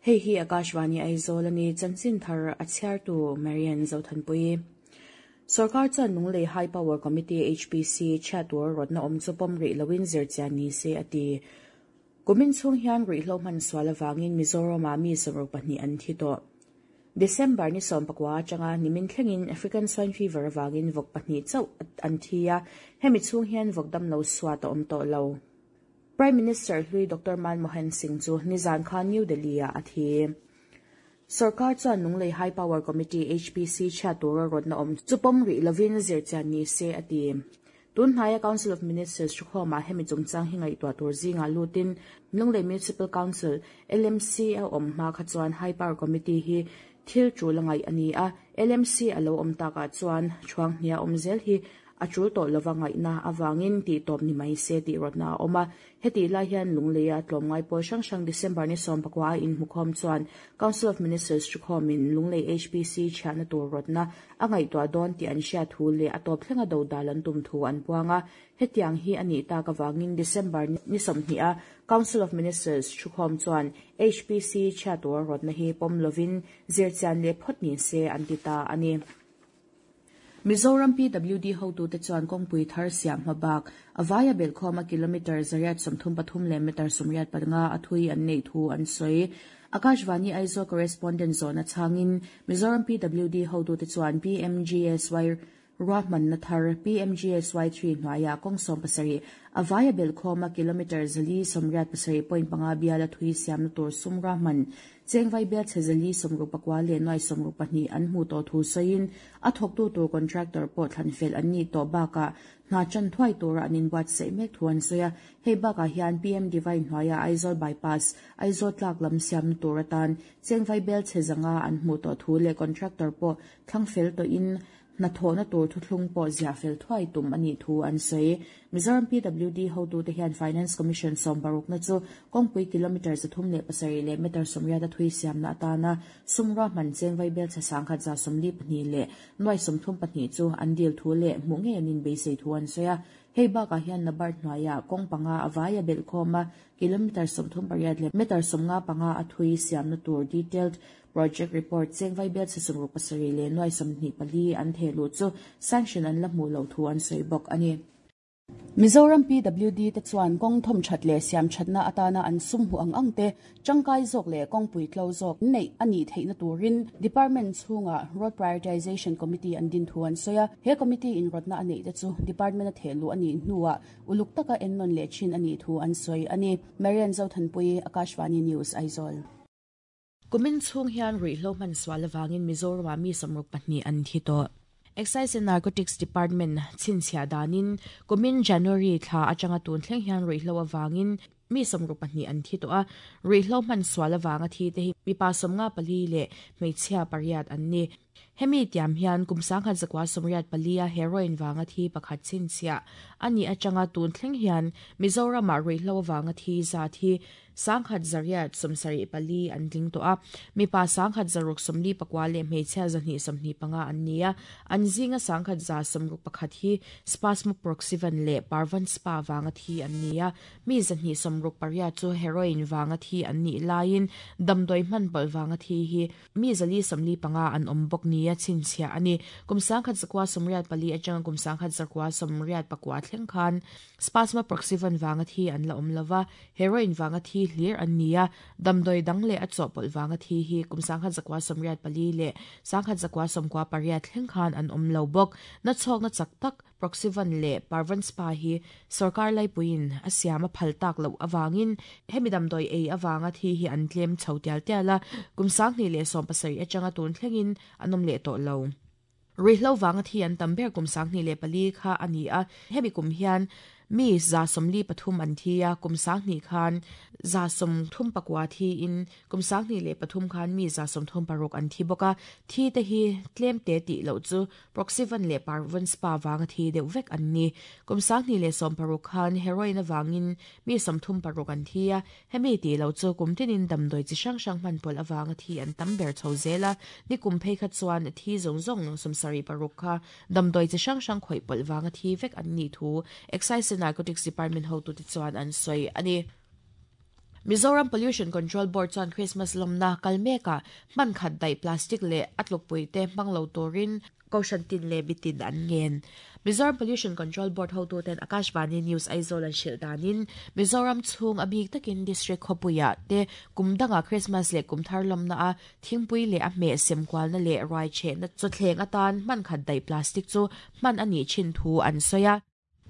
Hei hi Akashvani Aizawl a ni, chanchin thar a chhiartu Marian Zothanpui. Sorkar chuan Lunglei High Power Committee, HPC, chhiat tur rawtna awm chu pawm rih loin zirchian ni se a ti. Kumin chhung hian ruihhlo hman sual avangin Mizoramah mi 62 an thi tawh. December ni 19 atanga nimin thlengin African Swine Fever avangin vawk pahnih chauh an thi a, hemi chhung hian vawk damlo suat a awm tawh lo. Prime Minister hlui Doctor Manmohan Singh chu nizan khan New Delhi-ah a thi. Sorkar chuan Lunglei High Power Committee, HPC, chhiat tura rawtna awm chu pawm rih lovin zirchian ni se a ti. Tun hnaia Council of Ministers thukhawmah hemi chungchang hi ngaihtuah tur zingah lutin Lunglei Municipal Council, LMC, a awm hma kha chuan High Power Committee hi thil tul a ngaih a ni a, LMC a lo awm takah chuan thuang hnia awm zel hi A tul tawh lova ngaihna avangin tih tawp ni mai se tih rawtna a awm a. Hetih lai hian Lungleia tlawmngai pawl hrang hrang December ni 19 a inhmukhawm chuan Council of Ministers thukhawmin Lunglei HPC chhiahna tur rawtna a ngaihtuah dawn tih an hriat thu leh a tawp thlenga dodal an tum thu an puang a. Hetiang hi a nih tak avangin December ni 20 a Council of Ministers thukhawm chuan HPC chhiah tur rawtna hi pawm lovin zirchian leh phawt ni se an ti ta a ni. Mizoram PWD hotute chuan kawngpui thar siam hma bak a vaia belhkhawma kilometre 133 leh metre 85 a thui an neih thu an sawi. Akashvani Aizawl correspondent zawhna chhangin Mizoram PWD hotute chuan PMGSY ruahmanna thar PMGSY 3 hnuaiah kawng 17 a vaia belhkhawma kilometre 487.5 biala thui siamna tur sum ruahman Chengvai bial chhe 464 leh nuai 62 an hmuh tawh thu sawiin a thawktu tur contractor pawh thlan fel an nih tawh bakah hna chan thuai tura an inbuatsaih mek thu an sawi a. Hei bakah hian PM Divine hnuaia Aizawl Bypass, Aizawl tlak lam siamna tur atan Chengvai bial chhe 500 an hmuh tawh thu leh contractor pawh thlang fel tawhin Hnathawhna tur thuthlung pawh ziah fel thuai tum a nih thu an sawi. Mizoram PWD hotute hian Finance Commission 16na chu kawngpui kilometre 307 leh metre 80 a thui siamna atana sum ruahman cheng vaibel chhe 1,142 leh nuai 32 chu an dil thu leh hmuh ngei an inbeisei thu an sawi a. Hei bakah hian NABARD hnuaiah kawng panga a vai a belhkhawm a, kilometre 38 leh metre 55 a thui siamna tur detailed Project report cheng vaibel chhe 67 leh nuai 24 an theh luh chu sanction an la hmuh loh thu an sawi bawk a ni. Mizoram PWD te chuan kawng thawm that leh siam thatna atana an sum hmuh ang ang te tangkai zawk leh kawngpui tlo zawk neih a nih theihna turin Department chhungah Road Prioritization Committee an din thu an sawi a. He committee in rawtna a neih te chu Department a theh luh a nih hnuah uluk taka ennawn leh thin a nih thu an sawi a ni. Marian Zothanpui, Akashvani News, Aizawl. Kumin chhung hian ruihhlo hman sual avangin Mizoramah mi 62 an thi tawh. Excise and Narcotics Department chhinchhiah danin kumin January thla atanga tun thleng hian ruihhlo avangin mi 62 an thi tawh a, ruihhlo hman sual avanga thi te hi mipa 54 leh hmeichhia pariat an ni. Hemi tiam hian kum 1984 a heroin vanga thi pakhat chhinchhiah a nih atanga tun thleng hian Mizoramah ruihhlo avanga thi zat hi 1874 an tling tawh a, mipa 1669 leh hmeichhia 225 an ni a, an zinga 1161 hi Spasmoproxyvan leh Parvan Spa vanga thi an ni a, mi 268 chu heroin vanga thi an nih laiin damdawi hman pawlh vanga thi hi Mi 445 an awm bawk nia chhinchhiah a ni. Kum 1984 atanga kum 1989 thleng khan Spasma Proxyvan vanga thi an la awm lova, heroin vanga thi hlir an ni a, damdawi dang leh a chawhpawlh vanga thi hi kum 1984 leh 1998 thleng khan an awm lo bawk. Nachhawkna chak tak Proxyvan leh Parvan Spa hi sorkar laipuiin a siam a phal tak loh avangin hemi damdawi ei avanga thi hi an tlem chho tial tial a, kum 2017 atanga tun thlengin an awm leh tawh lo. Ruihhlo vanga thi an tam ber kum 2004 kha a ni a, hemi kum hian. Mi 73 an thi a, kum 20 khan 34 thi in kum 23 khan mi 36 an thi bawk a. Thi te hi tlem te tih loh chu Proxyvan leh Parvon Spa vanga thi deuh vek an ni. Kum 2016 khan heroin awangin mi 36 an thi a, hemi tih loh chu kum tinin damdawi chi hrang hrang hman pawlh awanga thi an tam ber chho zel a. Ni kum phei kha chuan thi zawng zawng 76 kha damdawi chi hrang hrang khawih pawlh wanga thi vek an ni thu Excise and Narcotics Department hotu te chuan an sawi ani. Mizoram Pollution Control Board chuan Christmas lawmna kal meka hman khat daih plastic leh a tlukpui te hmang lo turin kohhran tin leh mitin an ngen. Mizoram Pollution Control Board hotu ten Akashvani News Aizawl an hrilh danin Mizoram chhung a bik takin district khawpuia te kum danga Christmas leh kum thar lawmna a thingpui leh a hmeh sem kualna leh ruai chehna chawthleng atan hman khat daih plastic chu hman ani thin thu an sawi a.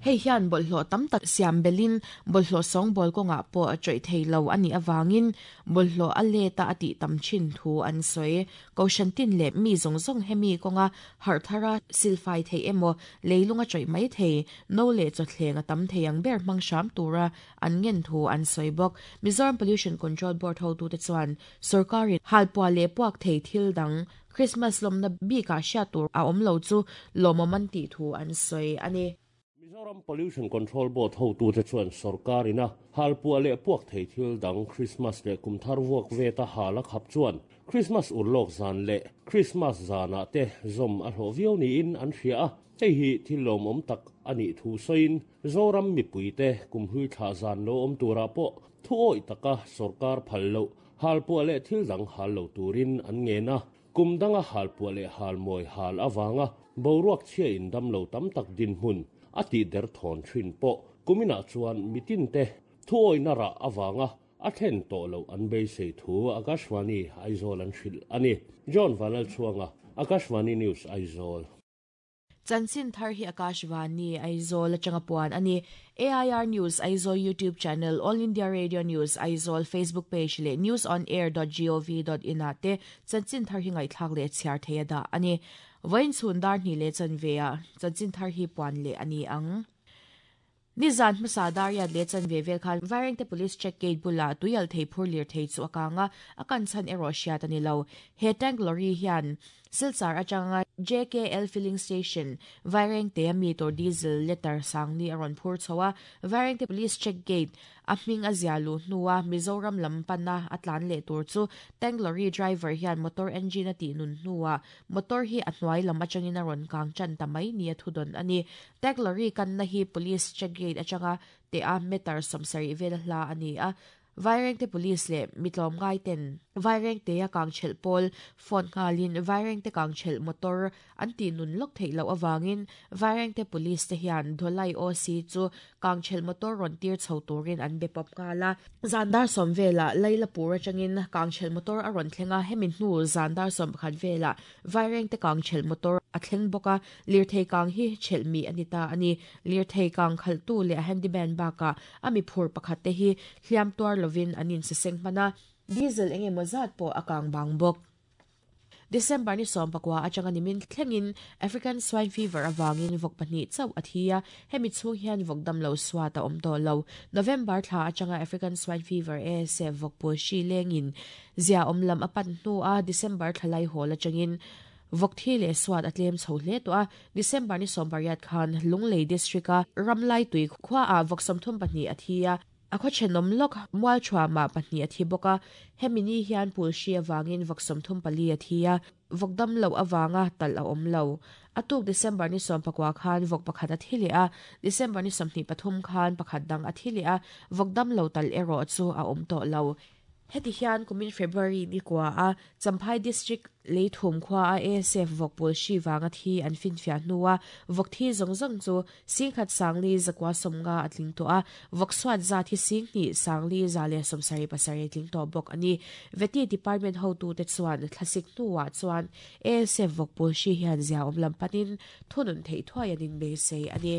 Hei hian bawlhhlawh tam tak siam belin bawlhhlawh sawng bawl kawngah pawh a chawih thei lo ani awangin bawlhhlawh a leta a tih tam thin thu an sawi. Kohhran tin leh mi zawng zawng hemi kawnga harh thara silfai thei emaw leilung a chawih mai thei no leh chawthleng a tam thei ang ber hmang hram tura an ngen thu an sawi bawk. Mizoram Pollution Control Board hotu te chuan sarkarin halpuah leh puak thei thil dang Christmas lawmna bikah hriat tur a awm lo chu lawmawm an tih thu an sawi ani. Mizoram Pollution Control Board hotu te chuan sarkarina halpuah leh puak thei thil dang Christmas leh kum thar vuak veta hal a khap chuan Christmas urlawk zan leh Christmas zana te zawm a hlawh viau niin an hria a. Hei hi thil lawmawm tak ani thu sawiin Zoram mipui te kum hlui thla zan lo awm turah pawh thu awih taka sarkar phal lo halpuah leh thil dang hal lo turin an ngen a. Kum danga halpuah leh hal mawi hal awanga boruak chhia in dam lo tam tak din hmun a tih der thawn thin pawh kuminah chuan mitin te thu awihna rah awanga a thlen tawh lo an beisei thu Akashvani Aizawl an hrilh ani. John Vanal chuanga Akashvani News Aizawl. Chanchin thar hi Akashvani Aizawl atanga puan ani. AIR News Aizawl YouTube channel, All India Radio News Aizawl Facebook page leh newsonair.gov.in ah te chanchin thar hi ngaihthlak leh chhiar thei a dah ani. Vawiin chhun dar hnih leh chanve ah chanchin thar hi puan leh ani ang. Nizan hmasa dariat leh chanve vel khan Vairengte Police check gate bula tuial thei phur lir thei chu a kanga a kan chan erawh hriat ani lo. He tank lorry hian Silchar atanga JKL filling station Vairengte a mi tur diesel liter sangli a rawn phur chho a. Vairengte Police check gate a hming a zia lu hnuah Mizoram lam pana a tlan leh tur chu tank lorry driver hian motor engine a tih nun hnuah motor hi a hnuai lam atangin a rawn kang chan ta mai ni a thudon ani. Tank lorry kan na hi police check gate atanga te a meter 70 vel hla ani a. Vairengte police leh mitlawm ngai ten Vairengte a kang chhel pawl phone ngalin Vairengte kang chhel motor an ti nun lok thei lo awangin Vairengte police te hian Dholai OC chu kang chhel motor ron tir chho turin an be pop ngala. Zandar som vela Laila pura changin kang chhel motor a ron thlenga hemin hnu zandar som pakhat vela Vairengte kang chhel motor a thleng bawka lir thei kang hi chhel mi anita ani. Lir thei kang khal tu leh handyman baka ami phur pakhat te hi hliam tuar lovin anin se seng hmana diesel enge mozat pawh a kang bang bawk. December ni som pakwa atanga nimin thlengin African swine fever awangin vok pahnih chauh a thi a, hemi chhung hian vok dam lo suat a awm tawh lo. November thla atanga African swine fever ASF vok pul hri lengin zia awm lam a pan hnu a December thlalai hawl atangin vok thi leh suat a tlem chho hle tawh a. December ni som pariat khan Lunglei district a Ramlai tui khua a vok 32 a thi a. A khaw thenawm lawk mual thuama pahnih a thi bawk a, hemi ni hian pul hri awangin vok 34 a thi a, vok dam lo awanga talh a awm lo. A tuk December ni 11 khan vok pakhat a thi leh a, December ni 23 khan pakhat dang a thi leh a, vok dam lo talh erawh chu a awm tawh lo. Heti hian kumin February ni kwa a Champhai district leithum khua a ASF vok pul hri wanga thi an fin fia hnuah vok thi zawng zawng chu singkhat sangli zakwa somnga a tling tawh a, vok suat za thi sing hnih sangli za leh 77 tling tawh bawk ani. Veti department hotu te chuan thlasik hnuah chuan ASF vok pul hri hian zia awm lam panin thunun thei thuai anin beisei ani.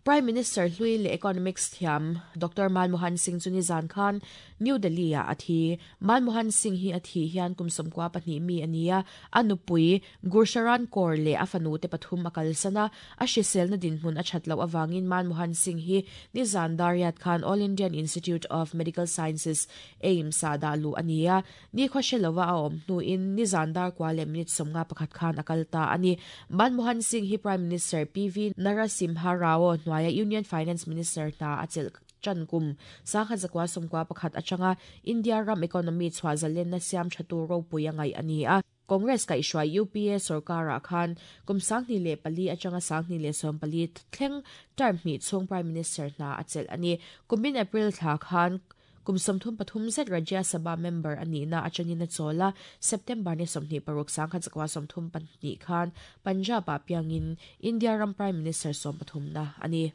Prime Minister hlui leh Economics thiam Doctor Manmohan Singh chu nizan khan New Delhi ah a thi. Manmohan Singh hi a thih hian kum 12 mi a ni a, a nupui Gursharan Kaur leh a fanu te pathum a kalsan a, a hriselna dinhmun a that loh avangin Manmohan Singh hi nizan dariat khan All Indian Institute of Medical Sciences, AIIMS, ah dah luh a ni a. Nikhua hre lova a awm hnuin nizan dar kua leh minute 51 khan a kal ta a ni. Manmohan Singh hi Prime Minister PV Narasimha Rao hnuaia Union Finance Minister hna a chelh tan kum 1991 atanga India ram economy chhuah zalenna siam thatu ropui a ngaih a ni a. Congress kaihhruai UPA sorkarah khan kum 2004 atanga 2014 thleng term hnih chhung Prime Minister hna a chelh a ni. Kumin April thla khan Kum 33 zet Rajya Sabha member a nihna atangin a chawl a, September ni 26 1932 khan Punjab-ah piangin India ram Prime Minister sawmpathumna a ni.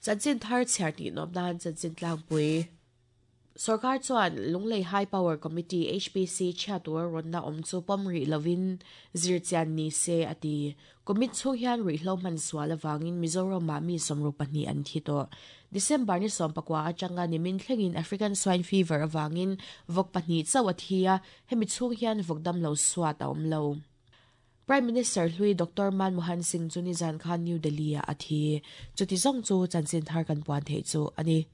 Chanchin thar chhiar tih nawm nan chanchin tlangpui. Sorkar chuan Lunglei High Power Committee, HPC, chhia tura rawnna awm chu pawm rih lovin zirchian ni se a ti. Kumit chhung hian ruihhlo hman sual avangin Mizoramah mi 62 an thi tawh. December ni 19 atanga nimin thlengin African Swine Fever avangin vawk pahnih chauh a thi a, hemi chhung hian vawk damlo suat a awm lo. Prime Minister hlui Doctor Manmohan Singh chu nizan khan New Delhi-ah a thi. Chuti zawng chu chanchin thar kan puan theih chu a ni.